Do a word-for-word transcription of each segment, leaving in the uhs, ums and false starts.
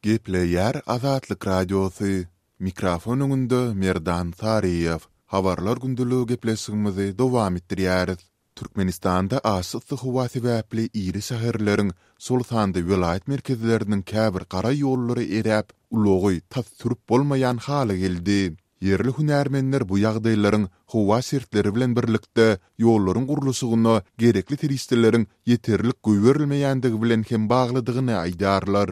Gepleýär Azatlyk Radiosy, Mikrofon öňünde Merdan Saryýew. Habarlar gündeligi gepleşigimizi dowam etdirýäris. Türkmenistanda aşa yssy howa sebäpli iri şäherleriň, şol sanda welaýat merkezleriniň käbir gara ýollary eräp, ulagy tas sürüp bolmaýan hala geldi. Ýerli hünärmenler bu ýagdaýlaryň howa şertleri bilen birlikde ýollaryň gurluşygyna gerekli serişdeleriň ýeterlik goýberilmeýändigi bilen hem baglydygyny aýdýarlar.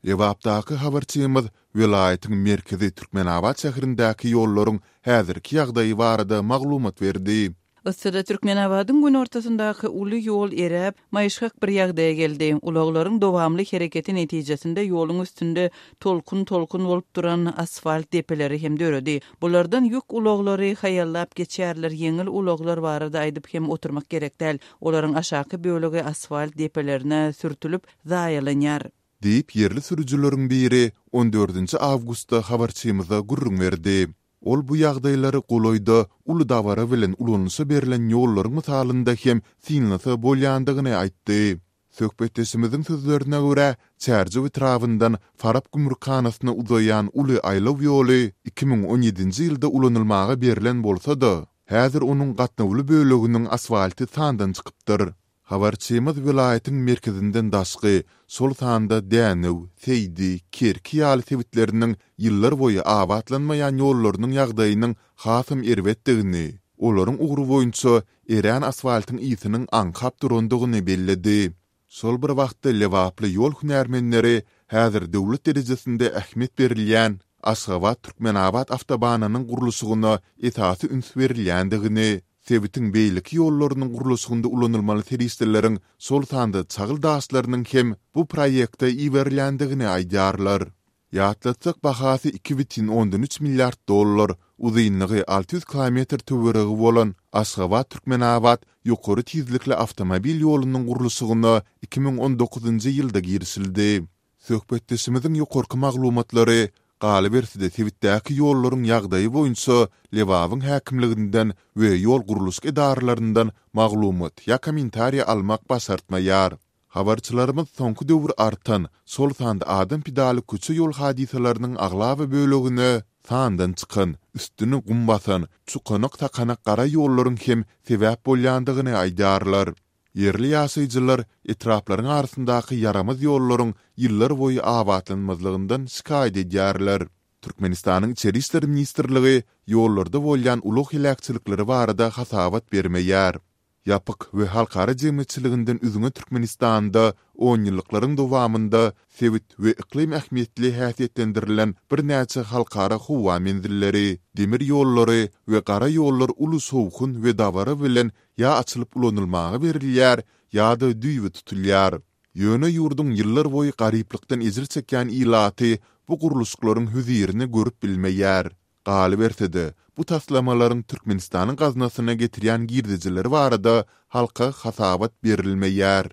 Lebapdaky habarçymyz welaýatyň merkezi Türkmenabat şäherindäki ýollaryň häzirki ýagdaýy barada maglumat berdi. Yssyda Türkmenabadyň günortasyndaky uly ýol eräp, maýyşgak bir ýagdaýa geldi. Ulaglaryň dowamly hereketi netijesinde ýoluň üstünde tolkun-tolkun bolup duran asfalt depeleri hem döredi. Bulardan ýük ulaglary haýallap geçýärler, ýeňil ulaglar barada aýdyp hem oturmak gerek däl. Olaryň aşaky bölegi asfalt depelerine sürtülip, zaýalanýar. Diýip, ýerli sürüjileriň biri on dördünji awgustda habarçymyza gürrüň berdi. Ol bu ýagdaýlary golaýda uly dabara bilen ulanyşa berlen ýollaryň mysalynda hem synlasa bolýandygyny aýtdy. Söhbetdeşimiziň sözlerine görä, Çärjew etrabyndan Farap gümrükhanasyna uzaýan uly aýlaw ýoly iki müň on ýedinji ýylda ulanylmaga berlen bolsa-da, häzir onuň gatnawly böleginiň asfalty sandan çykypdyr. Habarçymyz welaýatyň merkezinden daşky, şol sanda Dänew, Seýdi, Kerki ýaly sebitleriniň ýyllarboýy abatlanmaýan ýollarynyň ýagdaýynyň hasam erbetdigini, olaryň ugry boýunça erän asfaltyň ysynyň aňkap durandygyny belledi. Şol bir wagtda lebaply ýol hünärmenleri häzir döwlet derejesinde ähmiýet berilýän Aşgabat-Türkmenabat awtobanynyň gurluşygyna esasy üns berilýändigini, sebitiň beýleki ýollarynyň gurluşygynda ulanylmaly serişdeleriň, şol sanda çagyl daşlarynyň hem bu proýekte iberilýändigini aýdýarlar. Ýatlatsak, bahasy iki bütin ondan üç milliard dollar, uzynlygy alty ýüz kilometr töweregi bolan Aşgabat-Türkmenabat ýokary tizlikli awtomobil ýolunyň gurluşygyna iki müň on dokuzynjy ýylda girişildi. Söhbetdeşimiziň ýokarky maglumatlary, galyberse-de sebitdäki ýollaryň ýagdaýy boýunça Lebabyň häkimliginden we ýol gurluşyk edaralaryndan maglumat ýa kommentariý almak başartmaýar. Habarçylarymyz soňky döwür artan, şol sanda adam pidaly köçe-ýol hadysalarynyň aglaba bölegine sandan çykan, üstüni gum basan, çukanak-sakanak gara ýollaryň hem sebäp bolýandygyny aýdýarlar. Ýerli ýaşaýjylar etraplaryň arasyndaky ýaramaz ýollaryň ýyllarboýy abatlanmazlygyndan şikaýat edýärler. Türkmenistanyň Içeri işler ministrligi ýollarda bolýan ulag heläkçilikleri barada hasabat bermeýär. Ýapyk we halkara jemgyýetçiliginden üzňe Türkmenistanda onýyllyklaryň dowamynda sebit we yklym ähmiýetli häsiýetlendirilen birnäçe halkara howa menzilleri, demir ýollary we gara ýollar uly şowhun we dabara bilen ýa açylyp ulanylmaga berilýär, ýa-da düýbi tutulýar. Ýöne ýurduň ýyllarboýy garyplykdan ejir çekýän ilaty bu gurluşyklaryň hözirini görüp bilmeýär. Galyberse-de, bu taslamalaryň Türkmenistanyň gaznasyna getirýän girdejileri barada halka hasabat berilmeýär.